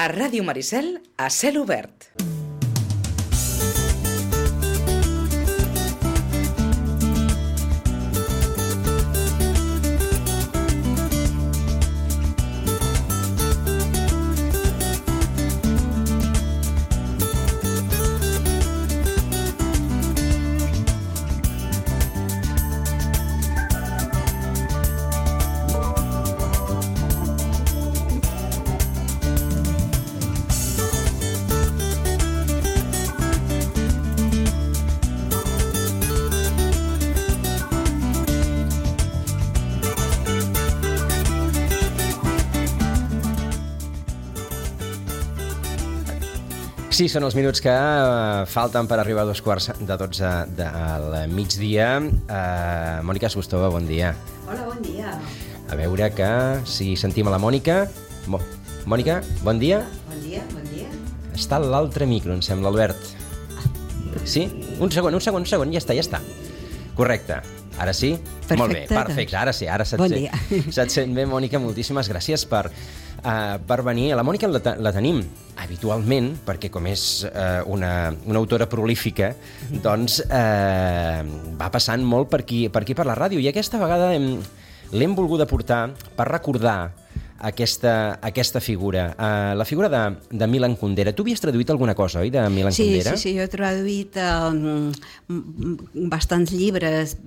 A Ràdio Maricel, a cel obert. Sí, són els minuts que falten per arribar a 11:45 del migdia. Mònica Sustova, bon dia. Hola, bon dia. A veure que si sentim a la Mònica. Mònica, bon dia. Bon dia. Està a l'altre micro, em sembla, Albert. Sí? Un segon, ja està. Correcte. Ara sí? Perfecte. Molt bé, perfecte. Ara sí, ara se't bon sent. Dia. Se't sent bé, Mònica, moltíssimes gràcies per venir. La Mònica la tenim habitualment, perquè com és una autora prolífica, doncs va passant molt per aquí per la ràdio, i aquesta vegada l'hem volguda portar per recordar aquesta figura, la figura de Milan Kundera. Tu havies traduït alguna cosa, oi, de Milan Kundera? Sí, jo he traduït bastants llibres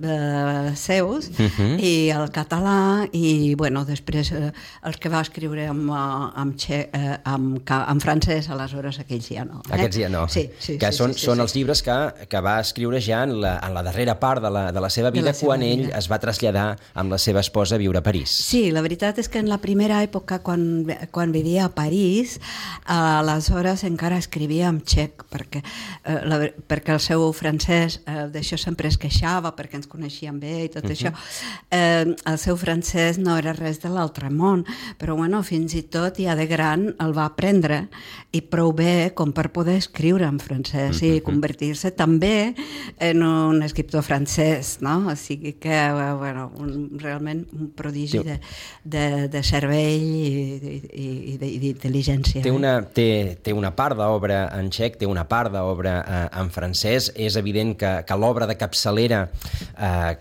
seus i al català, i bueno, després els que va escriure en francès, aleshores aquells ja no. Aquests ja no. Sí. Que són els llibres que va escriure ja en la darrera part de la seva vida, quan ell es va traslladar amb la seva esposa a viure a París. Sí, la veritat és que en la primera època, quan vivia a París, aleshores encara escrivia en txec, perquè el seu francès, d'això sempre es queixava, perquè ens coneixíem bé i tot això. El seu francès no era res de l'altre món, però bueno, fins i tot ja de gran el va aprendre, i prou bé com per poder escriure en francès i convertir-se també en un escriptor francès, no? O sigui que, bueno, realment un prodigi de cervell i d'intel·ligència. Té una part d'obra en txec, té una part d'obra en francès. És evident que l'obra de capçalera,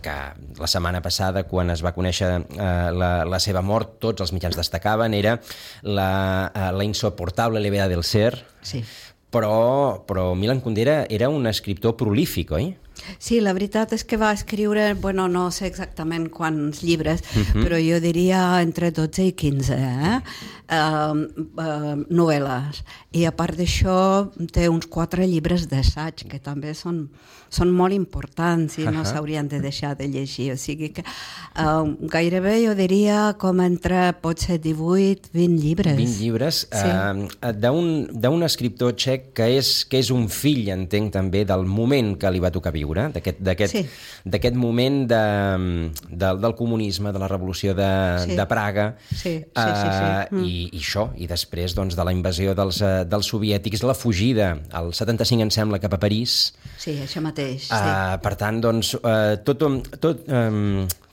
que la setmana passada, quan es va conèixer la seva mort, tots els mitjans destacaven, era la insoportable levedad del ser. Sí. Però Milan Kundera era un escriptor prolífic, oi? Sí, la veritat és que va escriure, bueno, no sé exactament quants llibres, però jo diria entre 12 i 15 novel·les. I a part d'això té uns 4 llibres d'assaig, que també són molt importants i no s'haurien de deixar de llegir. O sigui que gairebé jo diria com entre potser 18, 20 llibres. 20 llibres d'un escriptor txec que és un fill, entenc, també del moment que li va tocar viure, d'aquest moment del comunisme, de la revolució de Praga, i això, i després de la invasió dels soviètics, la fugida al 75, em sembla, cap a París. Sí, això mateix. Per tant,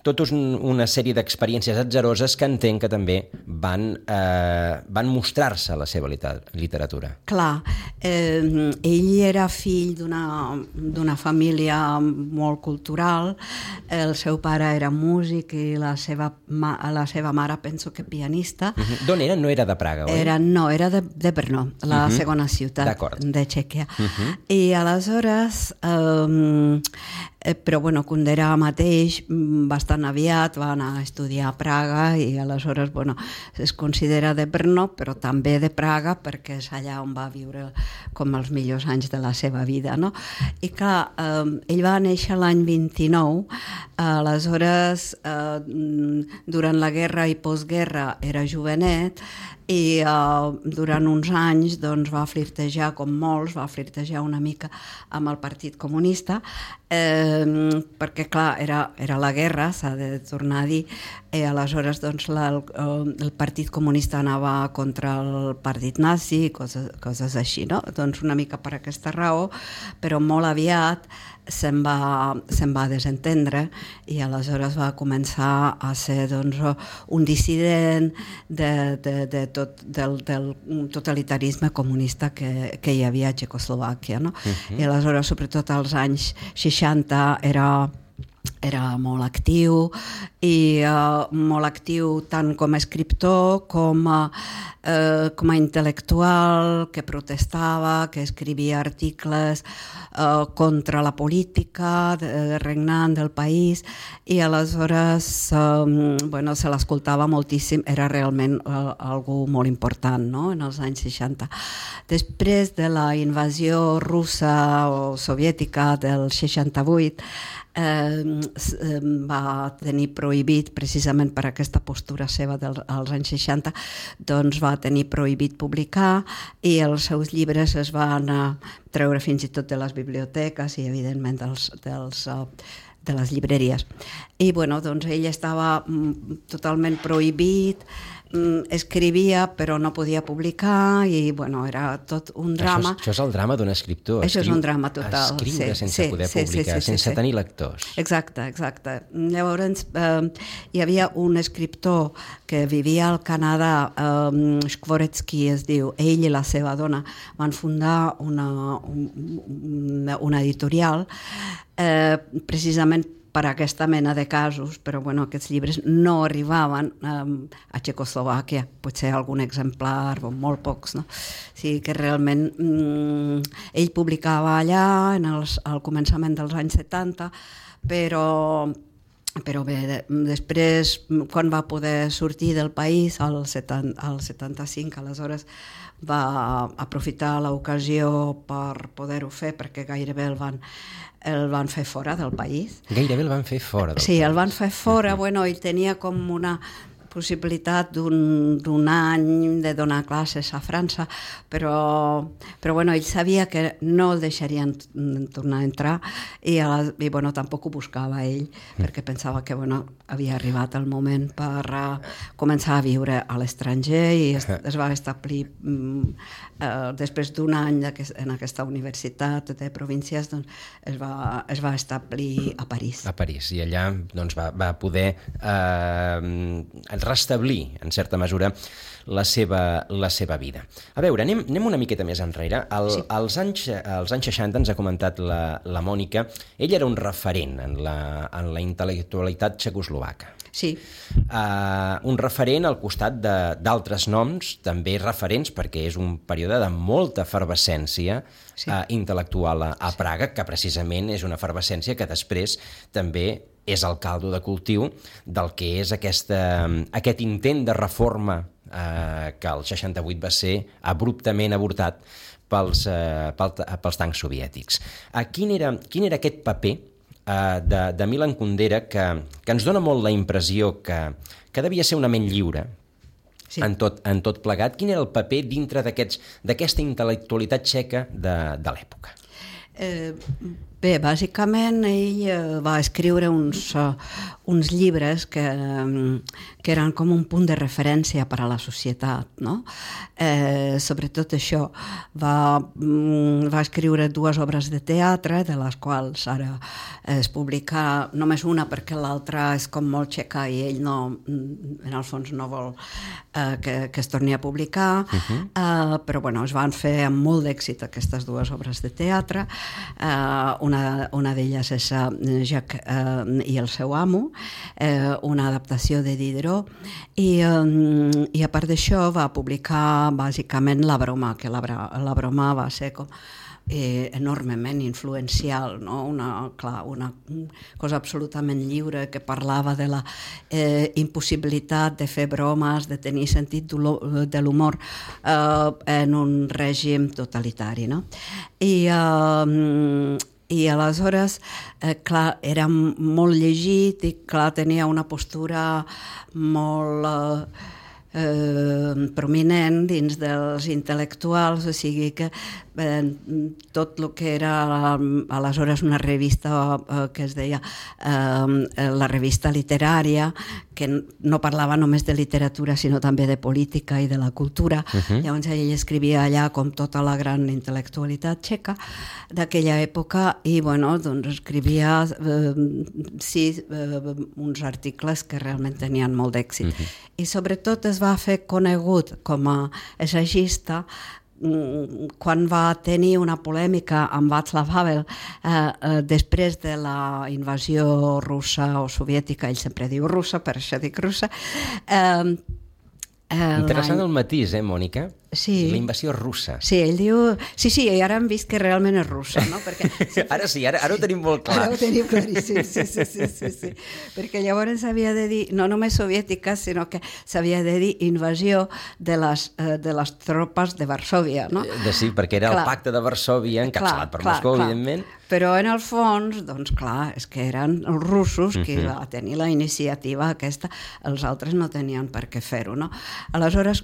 tot una sèrie d'experiències atzaroses que entenc que també van mostrar-se a la seva literatura. Clar, ell era fill d'una família molt cultural. El seu pare era músic i la seva mare penso que pianista. D'on era? No era de Praga, oi? No, era de Brno, la segona ciutat de Txèquia. I aleshores, però bueno, Kundera mateix bastant aviat va anar a estudiar a Praga, i aleshores es considera de Brno però també de Praga, perquè és allà on va viure com els millors anys de la seva vida, no? I clar, ell va néixer l'any 29, aleshores durant la guerra i postguerra era jovenet, i durant uns anys va flirtejar, com molts, va flirtejar una mica amb el Partit Comunista, perquè clar, era la guerra, s'ha de tornar a dir, i aleshores doncs, el Partit Comunista anava contra el Partit Nazi, coses així, no? Doncs una mica per aquesta raó, però molt aviat se'n va desentendre i aleshores va començar a ser doncs, un dissident del totalitarisme comunista que hi havia a Txecoslovàquia, no? I aleshores, sobretot als anys 60, era molt actiu i molt actiu tant com a escriptor com a intel·lectual que protestava, que escrivia articles contra la política regnant del país i aleshores se l'escoltava moltíssim, era realment algú molt important, no? En els anys 60. Després de la invasió russa o soviètica del 68 va tenir prohibit, precisament per aquesta postura seva als anys 60, doncs va tenir prohibit publicar i els seus llibres es van treure fins i tot de les biblioteques i evidentment de les llibreries. I bueno, doncs ell estava totalment prohibit, escrivia però no podia publicar i bueno, era tot un drama. Això és el drama d'un escriptor. Això és un drama total. Escriure sense poder publicar, sense tenir lectors. Exacte. Llavors hi havia un escriptor que vivia al Canadà, Skvoretsky es diu, ell i la seva dona van fundar una editorial precisament per aquesta mena de casos, però bueno, aquests llibres no arribaven a Txecoslovàquia, potser algun exemplar o molt pocs, no? O sigui que realment ell publicava allà al començament dels anys 70, però bé, després, quan va poder sortir del país, al 75, aleshores va aprofitar l'ocasió per poder-ho fer, perquè gairebé el van fer fora del país. Gairebé el van fer fora del país. Sí, el van fer fora. Bueno, ell tenia com una possibilitat d'un any de donar classes a França, però bueno, ell sabia que no el deixarien tornar a entrar i bueno, tampoc ho buscava ell, perquè pensava que bueno, havia arribat el moment per començar a viure a l'estranger i es va establir després d'un any en aquesta universitat de províncies, doncs es va establir a París. A París, i allà doncs, va poder restablir, en certa mesura, la seva vida. A veure, anem una miqueta més enrere. Als anys 60 ens ha comentat la Mònica, ell era un referent en la intel·lectualitat txecoslovaca. Sí. Un referent al costat d'altres noms, també referents, perquè és un període de molta efervescència intel·lectual a Praga, que precisament és una efervescència que després també és el caldo de cultiu del que és aquest intent de reforma que el 68 va ser abruptament avortat pels tancs soviètics. Quin era aquest paper de Milan Kundera que ens dona molt la impressió que devia ser una ment lliure en tot plegat? Quin era el paper dintre d'aquesta intel·lectualitat txeca de l'època? Bé, bàsicament ell va escriure uns llibres que eren com un punt de referència per a la societat, no? Sobretot això, va escriure 2 obres de teatre, de les quals ara es publica només una perquè l'altra és com molt txeca i ell en el fons no vol que es torni a publicar, però bueno, es van fer amb molt d'èxit aquestes 2 obres de teatre. Una d'elles és Jacques i el seu amo, una adaptació de Diderot, i a part d'això va publicar bàsicament La broma, que la broma va ser com enormement influencial, no? Una cosa absolutament lliure que parlava de la impossibilitat de fer bromes, de tenir sentit de l'humor en un règim totalitari, no? I aleshores, clar, era molt llegit i clar, tenia una postura molt prominent dins dels intel·lectuals, o sigui que tot el que era aleshores una revista que es deia la revista literària, que no parlava només de literatura sinó també de política i de la cultura. Llavors ell escrivia allà com tota la gran intel·lectualitat txeca d'aquella època i doncs escrivia uns articles que realment tenien molt d'èxit. I sobretot es va fer conegut com a assagista quan va tenir una polèmica amb Václav Havel després de la invasió russa o soviètica, ell sempre diu russa, per això dic russa. Interessant el matís, Mònica? Sí. La invasió russa. Sí, ell diu... Sí, i ara hem vist que realment és russa, no? Perquè... Ara sí, ara ho tenim molt clar. Ara ho tenim claríssim, sí. Perquè llavors s'havia de dir, no només soviètica, sinó que s'havia de dir invasió de les tropes de Varsòvia, no? Sí, perquè era el pacte de Varsòvia, encapçalat per Moscou, evidentment. Però en el fons, doncs clar, és que eren els russos qui va tenir la iniciativa aquesta, els altres no tenien per què fer-ho, no? Aleshores,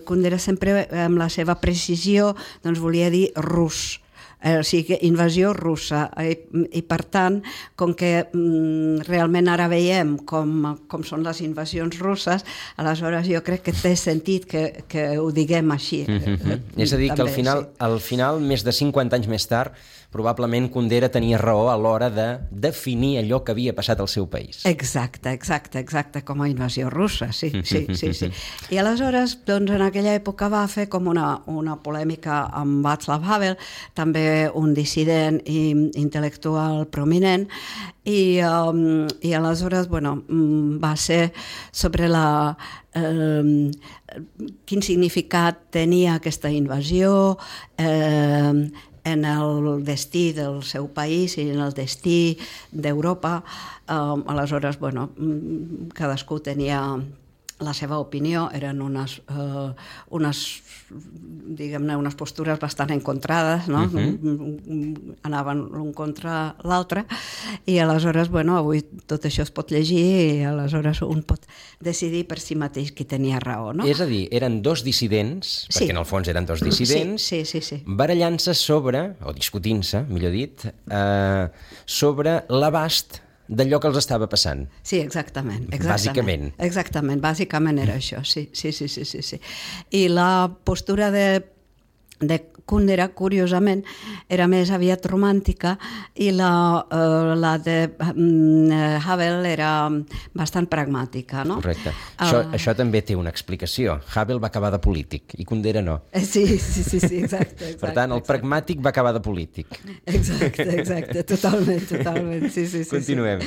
Kundera sempre amb la seva precisió doncs volia dir rus, o sigui, invasió russa, i per tant, com que realment ara veiem com són les invasions russes, aleshores jo crec que té sentit que ho diguem així. És a dir, que al final, més de 50 anys més tard, probablement Kundera tenia raó a l'hora de definir allò que havia passat al seu país. Exacte, com a invasió russa, sí. I aleshores, doncs, en aquella època va fer com una polèmica amb Václav Havel, també un dissident i intel·lectual prominent, i aleshores, va ser sobre quin significat tenia aquesta invasió, en el destí del seu país i en el destí d'Europa. Aleshores, cadascú tenia la seva opinió, eren unes postures bastant encontrades, no? Anaven l'un contra l'altre, i aleshores, avui tot això es pot llegir i aleshores un pot decidir per si mateix qui tenia raó, no? És a dir, eren dos dissidents, perquè en el fons eren dos dissidents, sí. barallant-se sobre, o discutint-se, millor dit, sobre l'abast d'allò que els estava passant. Sí, exactament. Bàsicament. Exactament, bàsicament era això, sí. I la postura de Kundera, curiosament, era més aviat romàntica i la de Havel era bastant pragmàtica, no? Correcte. Això també té una explicació. Havel va acabar de polític i Kundera no. Sí, exacte. Per tant, el pragmàtic va acabar de polític. Exacte, totalment, sí. Continuem.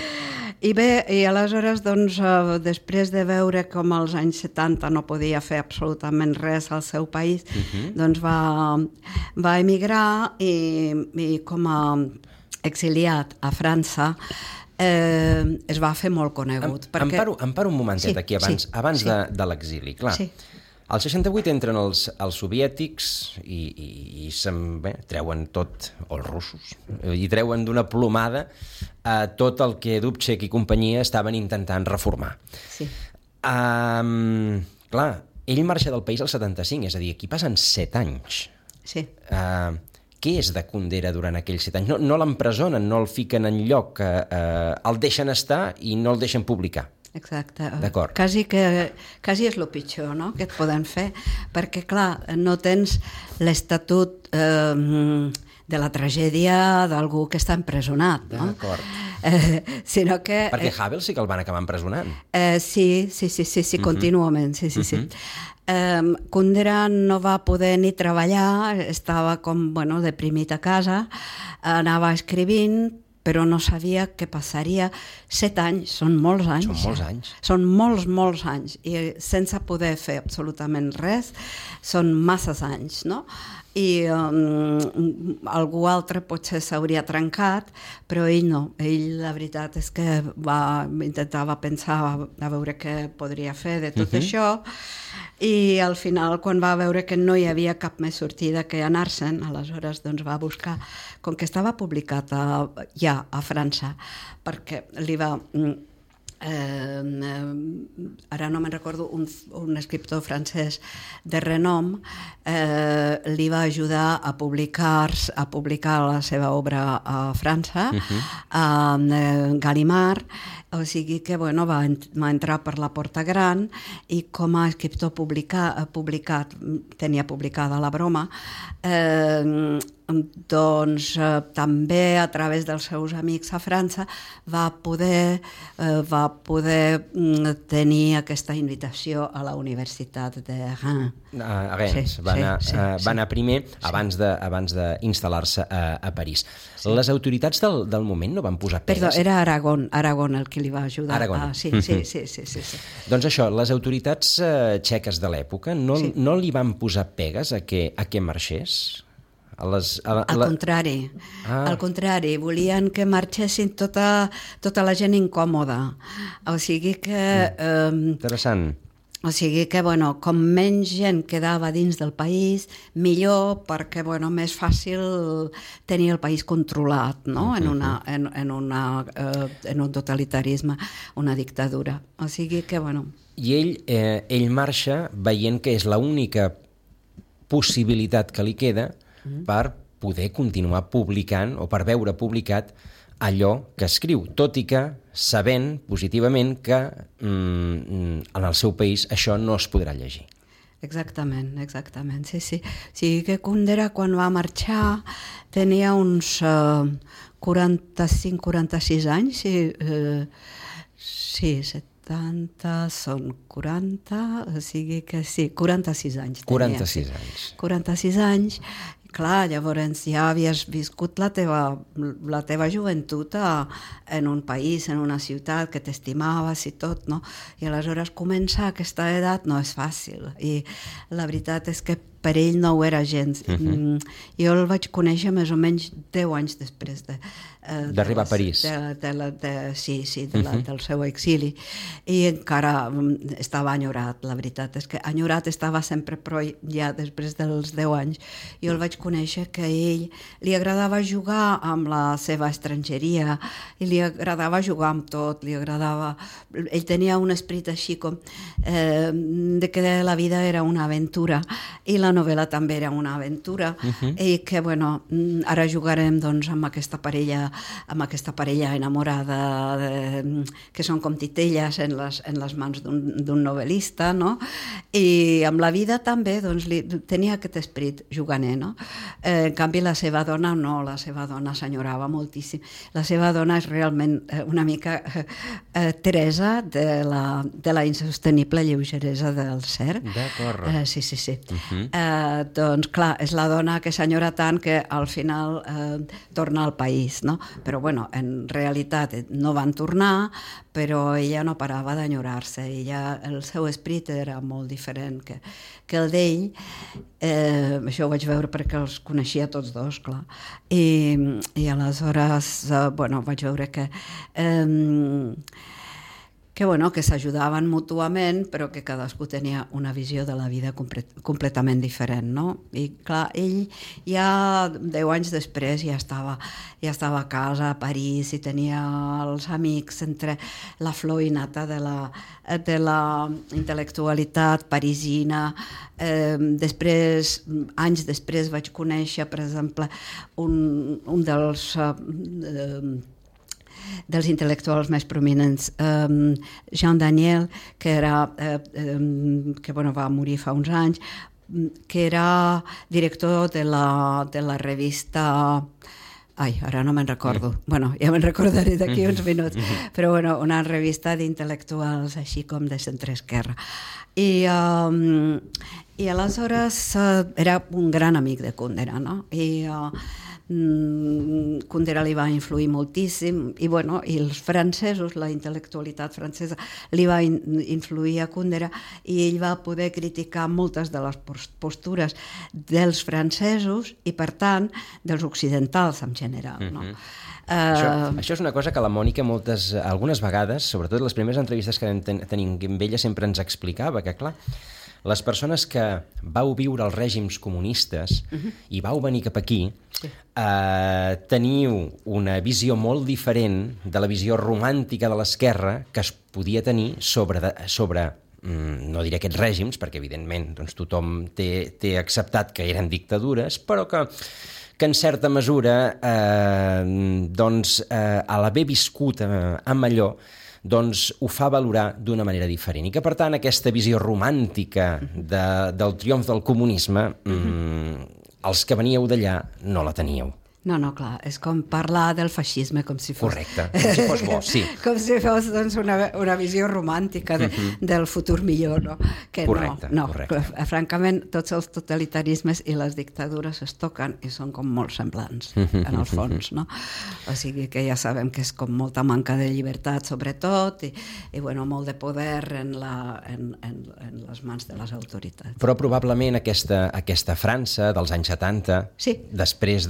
I bé, i aleshores, doncs, després de veure com als anys 70 no podia fer absolutament res al seu país, doncs va emigrar i com a exiliat a França es va fer molt conegut. Em paro un momentet aquí, abans de l'exili. Clar, al 68 entren els soviètics i treuen tot, o els russos, i treuen d'una plomada tot el que Dubček i companyia estaven intentant reformar. Sí. Clar, ell marxa del país al 75, és a dir, aquí passen 7 anys. Sí. Què és de Kundera durant aquells 7 anys? No l'empresonen, no el fiquen en lloc, el deixen estar i no el deixen publicar. Exacte. D'acord. Quasi és el pitjor, no?, que et poden fer, perquè, clar, no tens l'estatut de la tragèdia d'algú que està empresonat, no? D'acord. Sinó que... Perquè Havel sí que el van acabar empresonant. Sí, contínuament, sí. Kundera no va poder ni treballar, estava com, deprimit a casa, anava escrivint, però no sabia què passaria. 7 anys, són molts anys. Són molts anys. Són molts anys, i sense poder fer absolutament res, són masses anys, no? I algú altre potser s'hauria trencat, però ell no. Ell, la veritat és que intentava pensar a veure què podria fer de tot això, i al final, quan va veure que no hi havia cap més sortida que anar-se'n, aleshores doncs va buscar, com que estava publicat ja a França, perquè li va ara no me'n recordo, un escriptor francès de renom li va ajudar a publicar la seva obra a França, Gallimard, o sigui que va entrar per la porta gran i com a escriptor tenia publicada la broma, doncs també a través dels seus amics a França va poder tenir aquesta invitació a la Universitat de Reims. A Reims, va anar primer abans d'instal·lar-se a París. Les autoritats del moment no van posar pegues? Perdó, era Aragón el que li va ajudar. Aragón. Sí. Doncs això, les autoritats txeques de l'època no li van posar pegues a que marxés? Al contrari, volien que marxessin tota la gent incòmoda. O sigui que... Interessant. O sigui que, com menys gent quedava dins del país, millor, perquè, més fàcil tenir el país controlat, no? En un totalitarisme, una dictadura. O sigui que, I ell marxa veient que és l'única possibilitat que li queda per poder continuar publicant o per veure publicat allò que escriu, tot i que sabent positivament que en el seu país això no es podrà llegir. Exactament, sí. O sigui que Kundera, quan va marxar, tenia uns 45-46 anys, sí, 70 són 40, o sigui que sí, 46 anys. 46 anys. 46 anys. Clar, llavors ja havies viscut la teva joventut en un país, en una ciutat que t'estimaves i tot, no? I aleshores començar a aquesta edat no és fàcil. I la veritat és que per ell no ho era gens. Jo el vaig conèixer més o menys 10 anys després d'arribar a París. Del seu exili. I encara estava enyorat, la veritat és que enyorat estava sempre, però ja després dels 10 anys jo el vaig conèixer que a ell li agradava jugar amb la seva estrangeria i li agradava jugar amb tot, ell tenia un esperit així com de que la vida era una aventura i la novel·la també era una aventura i que ara jugarem amb aquesta parella enamorada que són com titelles en les mans d'un novel·lista, no? I amb la vida també tenia aquest esperit juganer, no? En canvi la seva dona no, la seva dona s'enyorava moltíssim. La seva dona és realment una mica Teresa de la insostenible lleugeresa del Cerc. D'acord. Sí. Doncs clar, és la dona que s'enyora tant que al final torna al país, no? Però en realitat no van tornar, però ella no parava d'enyorar-se. El seu esperit era molt diferent que el d'ell. Això ho vaig veure perquè els coneixia tots dos, clar. I aleshores vaig veure que s'ajudaven mútuament, però que cadascú tenia una visió de la vida completament diferent, no? I clar, ell ja 10 anys després ja estava a casa a París i tenia els amics entre la flor i nata de la intel·lectualitat parisina. Anys després vaig conèixer, per exemple, un dels intel·lectuals més prominents, Jean Daniel, que va morir fa uns anys, que era director de la revista... ara no me'n recordo. Ja me'n recordaré d'aquí uns minuts. Però una revista d'intel·lectuals així com de centre-esquerra. I aleshores era un gran amic de Kundera, no? Kundera li va influir moltíssim i els francesos, la intel·lectualitat francesa li va influir a Kundera i ell va poder criticar moltes de les postures dels francesos i per tant dels occidentals en general, no? Això és una cosa que la Mònica algunes vegades, sobretot les primeres entrevistes que tenim amb ella, sempre ens explicava, que clar, les persones que vau viure els règims comunistes i vau venir cap aquí, teniu una visió molt diferent de la visió romàntica de l'esquerra que es podia tenir sobre no diré aquests règims, perquè evidentment doncs, tothom té acceptat que eren dictadures, però que en certa mesura, a l'haver viscut amb allò, doncs ho fa valorar d'una manera diferent. I que, per tant, aquesta visió romàntica del triomf del comunisme, els que veníeu d'allà no la teníeu. No, clar, és com parlar del feixisme com si fos... Correcte, com si fos bo, sí. Com si fos doncs, una visió romàntica del futur millor, no? Que correcte, no, correcte. Francament, tots els totalitarismes i les dictadures es toquen i són com molt semblants, en el fons, no? O sigui que ja sabem que és com molta manca de llibertat, sobretot, i bueno, molt de poder en les mans de les autoritats. Però probablement aquesta França dels anys 70, sí. Després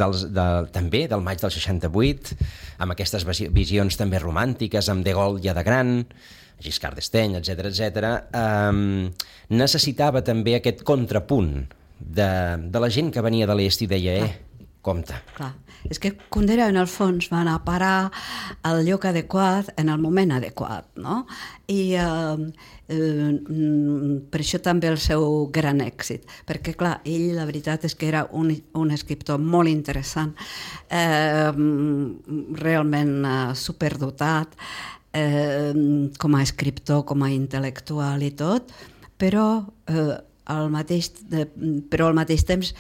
també del maig del 68, amb aquestes visions també romàntiques, amb De Gaulle ja de gran, Giscard d'Estaing, etc., necessitava també aquest contrapunt de la gent que venia de l'est i deia, compte. Clar, és que Kundera en el fons va anar a parar al lloc adequat en el moment adequat, no? I per això també el seu gran èxit, perquè clar, ell la veritat és que era un escriptor molt interessant, realment superdotat, com a escriptor, com a intel·lectual i tot, però al mateix temps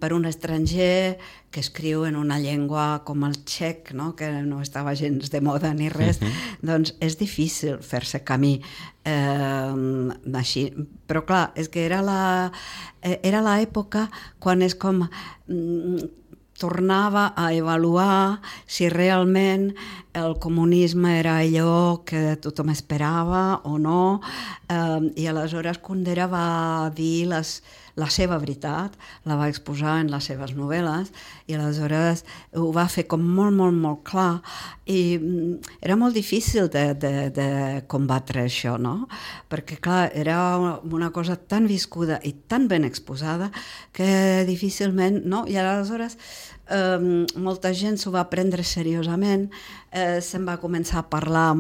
per un estranger que escriu en una llengua com el txec, no? Que no estava gens de moda ni res, doncs és difícil fer-se camí així. Però clar, és que era l'època quan és com tornava a avaluar si realment el comunisme era allò que tothom esperava o no, i aleshores Kundera va dir la seva veritat, la va exposar en les seves novel·les, i aleshores ho va fer com molt, molt, molt clar, i era molt difícil de combatre això, no? Perquè, clar, era una cosa tan viscuda i tan ben exposada que difícilment, no? I aleshores molta gent s'ho va prendre seriosament, se'n va començar a parlar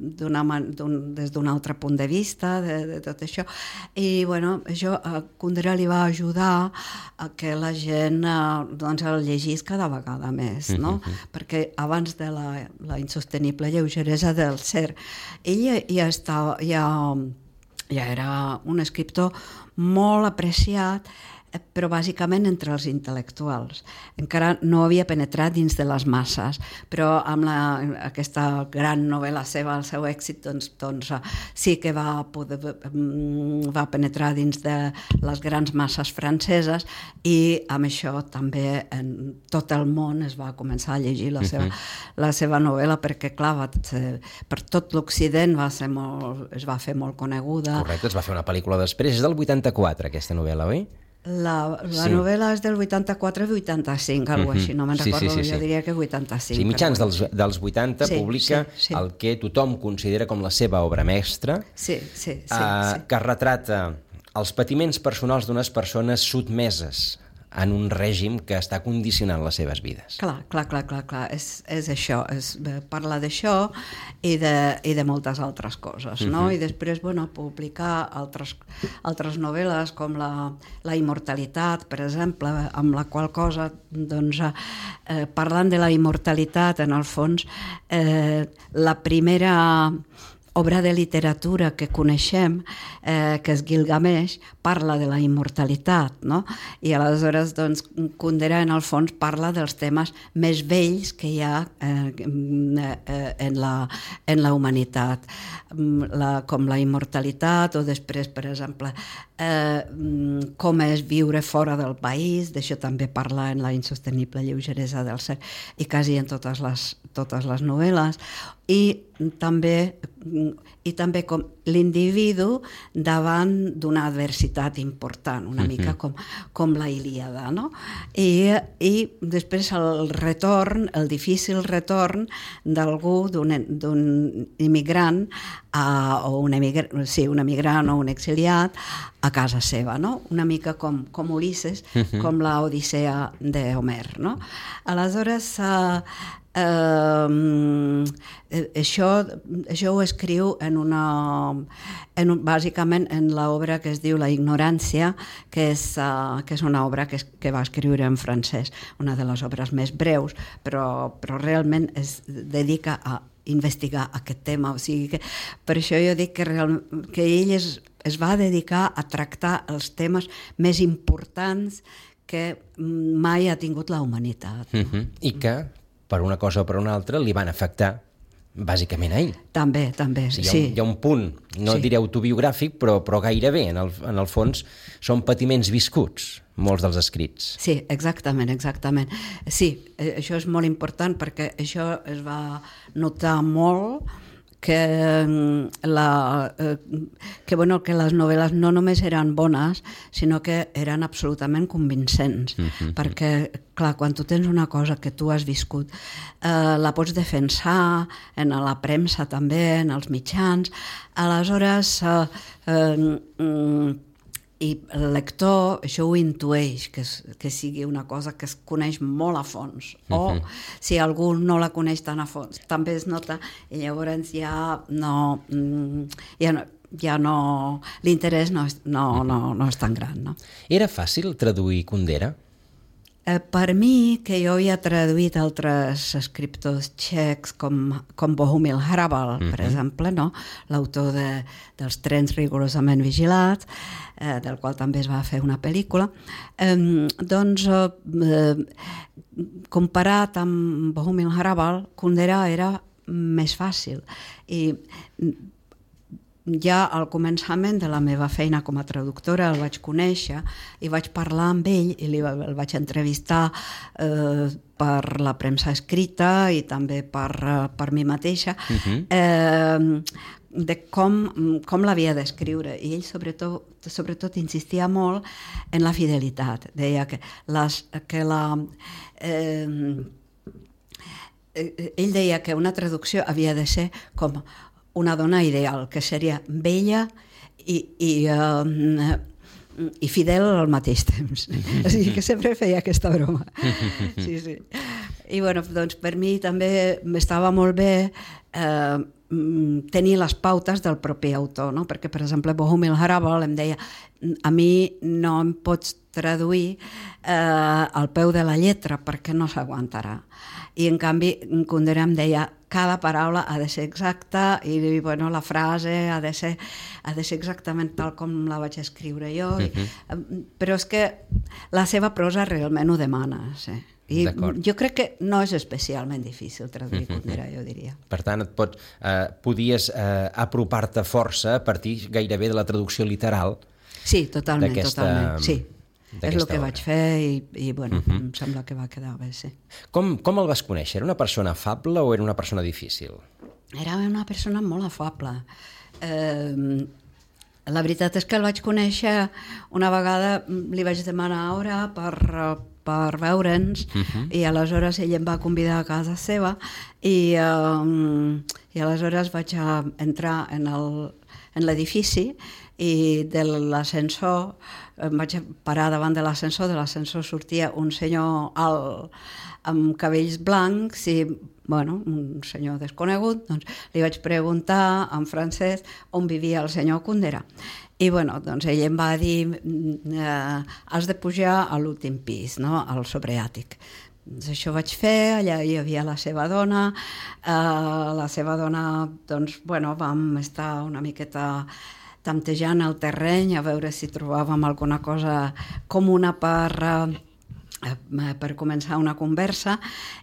des d'un altre punt de vista de tot això, i bueno, això a Kundera li va ajudar a que la gent doncs el llegís cada vegada més, no? Perquè abans de la insostenible lleugeresa del ser, ell ja era un escriptor molt apreciat, però bàsicament entre els intel·lectuals. Encara no havia penetrat dins de les masses, però amb aquesta gran novel·la seva, el seu èxit, doncs sí que va penetrar dins de les grans masses franceses, i amb això també en tot el món es va començar a llegir la seva novel·la, perquè clar, per tot l'Occident es va fer molt coneguda. Correcte, es va fer una pel·lícula després, és del 84 aquesta novel·la, oi? La novel·la és del 84-85, alguna així, no me'n recordo, jo diria que 85. Sí, mitjans dels 80 publica el que tothom considera com la seva obra mestra, que retrata els patiments personals d'unes persones sotmeses en un règim que està condicionant les seves vides. Clar, és això, parla d'això i de moltes altres coses, no? I després, bueno, publicar altres novel·les com la immortalitat, per exemple, amb la qual cosa, doncs, parlant de la immortalitat, en el fons, la primera obra de literatura que coneixem, que és Gilgamesh, parla de la immortalitat, no? I aleshores, doncs, Kundera, en el fons, parla dels temes més vells que hi ha en la humanitat, com la immortalitat, o després, per exemple, com és viure fora del país, d'això també parla en la insostenible lleugeresa del ser, i quasi en totes les novel·les, i també com l'individu davant d'una adversitat important, una mica com la Ilíada, no? I després el difícil retorn d'algú, d'un immigrant, un emigrant o un exiliat a casa seva, no? Una mica com Ulisses, com la Odissea d'Homer, no? Aleshores, això ho escriu bàsicament en l'obra que es diu La ignorància, que és una obra que va escriure en francès, una de les obres més breus, però realment es dedica a investigar aquest tema, o sigui que per això jo dic que ell es va dedicar a tractar els temes més importants que mai ha tingut la humanitat. I que, per una cosa o per una altra, li van afectar bàsicament a ell. També, sí. Hi ha un punt, no diré autobiogràfic, però gairebé, en el fons, són patiments viscuts, molts dels escrits. Sí, exactament. Sí, això és molt important perquè això es va notar molt que les novel·les no només eren bones, sinó que eren absolutament convincents, perquè, clar, quan tu tens una cosa que tu has viscut, la pots defensar en la premsa també, en els mitjans, aleshores i el lector això ho intueix, que sigui una cosa que es coneix molt a fons, o si algú no la coneix tan a fons, també es nota, i llavors ja no l'interès no és tan gran, no? Era fàcil traduir Kundera? Per mi, que jo havia traduït altres escriptors txecs com Bohumil Hrabal, per exemple, no? L'autor dels Trens rigorosament vigilats, del qual també es va fer una pel·lícula, doncs comparat amb Bohumil Hrabal, Kundera era més fàcil. I ja al començament de la meva feina com a traductora el vaig conèixer i vaig parlar amb ell i el vaig entrevistar per la premsa escrita i també per mi mateixa, de com l'havia d'escriure. I ell sobretot insistia molt en la fidelitat. Deia ell deia que una traducció havia de ser com una dona ideal, que seria bella i fidel al mateix temps. O sigui que sempre feia aquesta broma. Sí. I bueno, doncs per mi també m'estava molt bé tenir les pautes del propi autor, no? Perquè, per exemple, Bohumil Hrabal em deia: a mi no em pots traduir al peu de la lletra perquè no s'aguantarà. I en canvi Kundera em deia: cada paraula ha de ser exacta i bueno, la frase ha de ser exactament tal com la vaig escriure jo. Però és que la seva prosa realment ho demana, sí. I jo crec que no és especialment difícil traduir Kundera, jo diria. Per tant, podies apropar-te força a partir gairebé de la traducció literal. Sí, totalment, sí. És el que vaig fer i bueno, em sembla que va quedar bé, sí. Com el vas conèixer? Era una persona afable o era una persona difícil? Era una persona molt afable. La veritat és que el vaig conèixer una vegada, li vaig demanar hora per veure'ns i aleshores ell em va convidar a casa seva i aleshores vaig entrar en l'edifici i de l'ascensor em vaig parar davant de l'ascensor sortia un senyor alt amb cabells blancs i bueno, un senyor desconegut, doncs li vaig preguntar en francès on vivia el senyor Kundera. I bueno, doncs ell em va dir has de pujar a l'últim pis, no? Al sobreàtic. Doncs això vaig fer, allà hi havia la seva dona, doncs, bueno, vam estar una miqueta tantejant el terreny a veure si trobàvem alguna cosa comuna per començar una conversa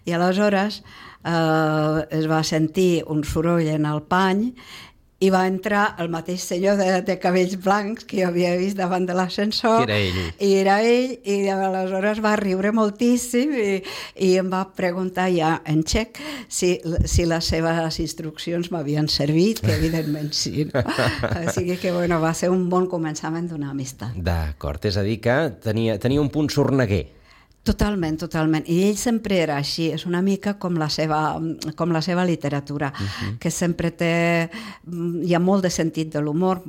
i aleshores es va sentir un soroll en el pany i va entrar el mateix senyor de cabells blancs que jo havia vist davant de l'ascensor. Que era ell. I era ell, i aleshores va riure moltíssim i em va preguntar ja en txec si les seves instruccions m'havien servit, que evidentment sí. No? O sigui que bueno, va ser un bon començament d'una amistat. D'acord, és a dir que tenia un punt sorneguer. Totalment, totalment. I ell sempre era així, és una mica com la seva literatura, que sempre hi ha molt de sentit de l'humor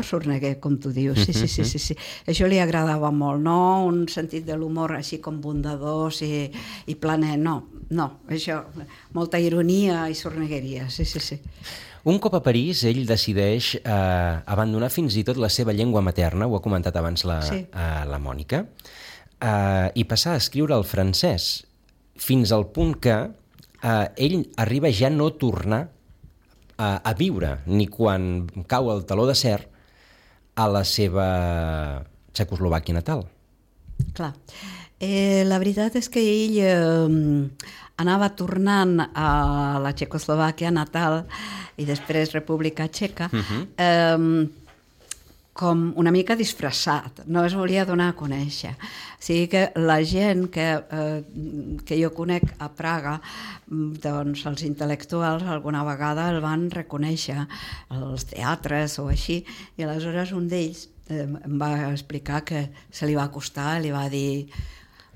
sorneguer, com tu dius. Sí. Això li agradava molt, no un sentit de l'humor així com bondadós i planer, no, això, molta ironia i sornegueria, sí. Un cop a París, ell decideix abandonar fins i tot la seva llengua materna, ho ha comentat abans la Mònica, i passar a escriure el francès, fins al punt que ell arriba ja no tornar a viure, ni quan cau el teló d'acer, a la seva Txecoslovàquia natal. Clar. La veritat és que ell anava tornant a la Txecoslovàquia natal i després República Txeca, com una mica disfressat, no es volia donar a conèixer. O sigui que la gent que jo conec a Praga, doncs els intel·lectuals alguna vegada el van reconèixer als teatres o així, i aleshores un d'ells em va explicar que se li va acostar, li va dir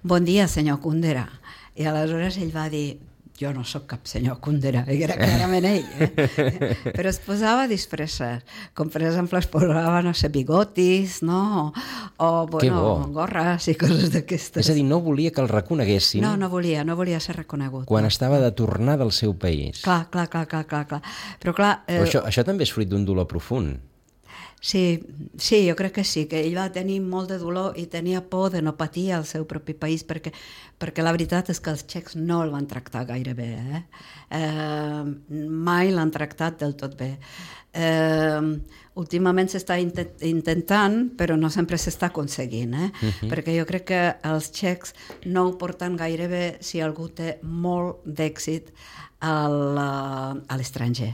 «Bon dia, senyor Kundera». I aleshores ell va dir «Jo no sóc cap senyor Kundera», i era clarament ell, però es posava disfresses, com per exemple es posava, no sé, bigotis, no? O bueno, gorres i coses d'aquestes. És a dir, no volia que el reconeguessin. No volia ser reconegut. Quan estava de tornar del seu país. Clar. Però clar... Però això també és fruit d'un dolor profund. Sí, jo crec que sí, que ell va tenir molt de dolor i tenia por de no patir al seu propi país, perquè la veritat és que els txecs no el van tractar gaire bé, mai l'han tractat del tot bé. Últimament s'està intentant, però no sempre s'està aconseguint, perquè jo crec que els txecs no ho porten gaire bé si algú té molt d'èxit a l'estranger,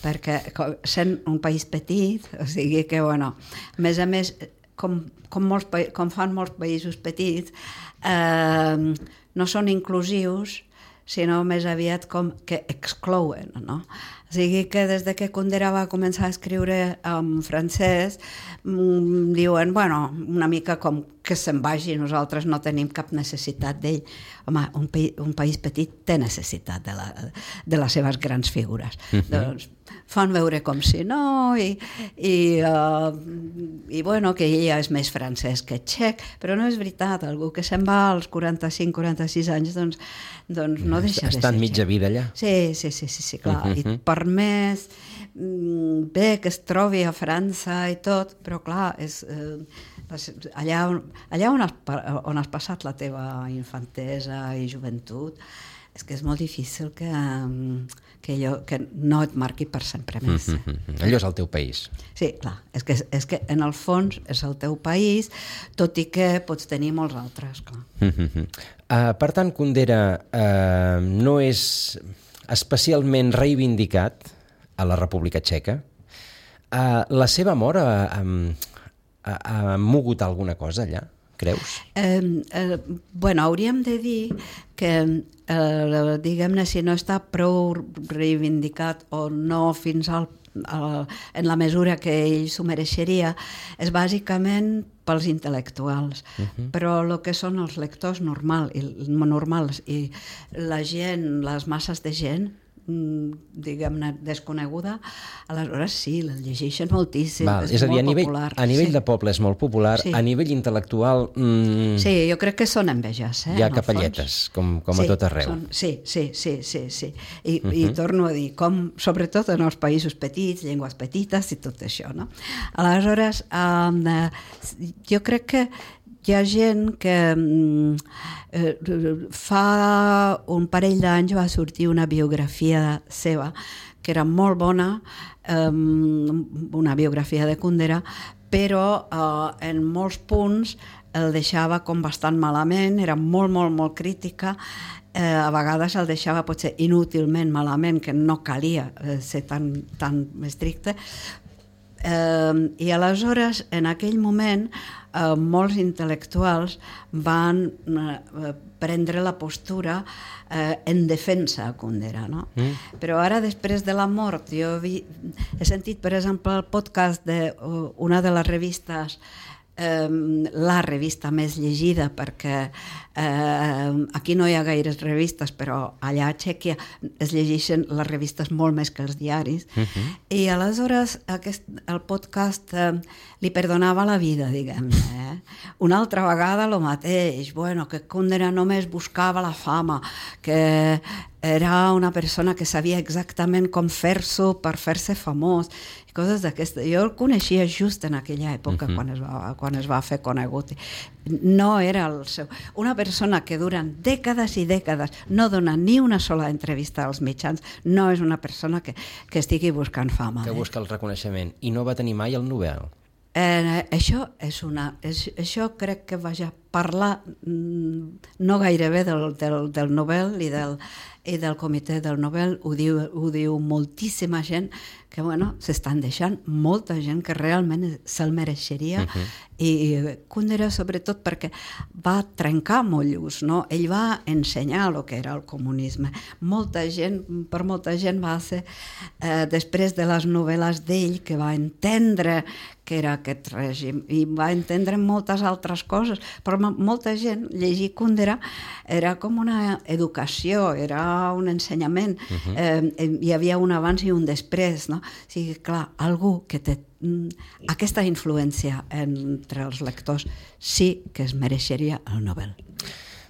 perquè sent un país petit, o sigui que, bueno, a més, com fan molts països petits, no són inclusius, sinó més aviat com que exclouen, no? O sigui que des que Kundera va començar a escriure en francès, diuen, bueno, una mica com que se'n vagi, nosaltres no tenim cap necessitat d'ell. Home, un país petit té necessitat de les seves grans figures. Doncs fan veure com si no, i bueno, que ell ja és més francès que txec, però no és veritat, algú que se'n va als 45-46 anys, doncs no deixa de ser. Ha estat mitja vida allà. Sí, clar, i per més bé que es trobi a França i tot, però clar, és allà on has passat la teva infantesa i joventut, és que és molt difícil que no et marqui per sempre més. Allò és el teu país. Sí, clar, és que en el fons és el teu país, tot i que pots tenir molts altres, clar. Per tant, Kundera no és especialment reivindicat a la República Txeca. La seva mort ha mogut alguna cosa allà, creus? Bueno, hauríem de dir que, diguem-ne, si no està prou reivindicat o no fins en la mesura que ell s'ho mereixeria, és bàsicament pels intel·lectuals, però el que són els lectors normals i la gent, les masses de gent, diguem-ne, desconeguda, aleshores sí, el llegeixen moltíssim, és a dir, molt popular. A nivell de poble és molt popular, a nivell intel·lectual... Sí, jo crec que són enveges. Hi ha capelletes, com a tot arreu. Sí. I torno a dir, sobretot en els països petits, llengües petites i tot això, no? Aleshores, jo crec que hi ha gent que fa un parell d'anys va sortir una biografia seva que era molt bona, una biografia de Kundera, però en molts punts el deixava com bastant malament, era molt, molt, molt crítica, a vegades el deixava potser inútilment malament, que no calia ser tan estricte, i aleshores en aquell moment molts intel·lectuals van prendre la postura en defensa a Kundera, no? Però ara, després de la mort, jo he sentit, per exemple, el podcast d'una de les revistes, la revista més llegida, perquè aquí no hi ha gaires revistes, però allà a Txèquia es llegeixen les revistes molt més que els diaris, i aleshores el podcast li perdonava la vida, diguem-ne. Una altra vegada el mateix, que Kundera només buscava la fama, que era una persona que sabia exactament com fer-s'ho per fer-se famós, i coses d'aquestes. Jo el coneixia just en aquella època, quan es va fer conegut. No era el seu... Una persona que durant dècades i dècades no dona ni una sola entrevista als mitjans, no és una persona que estigui buscant fama. Que busca el reconeixement. I no va tenir mai el Nobel. Això crec que vaja parlar no gairebé del Nobel i del comitè del Nobel, ho diu moltíssima gent, que s'estan deixant molta gent que realment se'l mereixeria, i Kundera sobretot perquè va trencar motllos, no? Ell va ensenyar el que era el comunisme. Per molta gent va ser, després de les novel·les d'ell, que va entendre que era aquest règim, i va entendre moltes altres coses, però molta gent llegir Kundera era com una educació, era un ensenyament, hi havia un abans i un després, no? O sigui, clar, algú que té aquesta influència entre els lectors sí que es mereixeria el Nobel.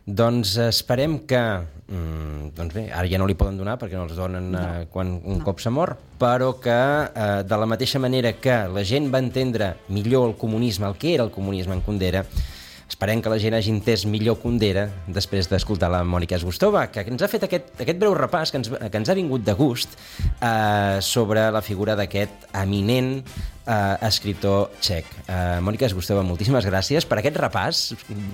Doncs esperem que... Doncs bé, ara ja no li poden donar perquè no els donen quan un cop s'ha mort, però que de la mateixa manera que la gent va entendre millor el comunisme, el que era el comunisme en Kundera, esperem que la gent hagi entès millor Kundera després d'escoltar la Mònica Zgustova, que ens ha fet aquest breu repàs que ens ha vingut de gust sobre la figura d'aquest eminent escriptor txec. Mònica Zgustova, moltíssimes gràcies per aquest repàs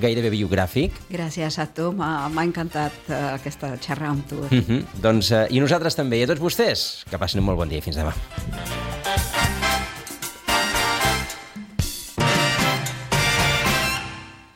gairebé biogràfic. Gràcies a tu, m'ha encantat aquesta xerrada amb tu. Doncs, i nosaltres també, i a tots vostès, que passin un molt bon dia. Fins demà.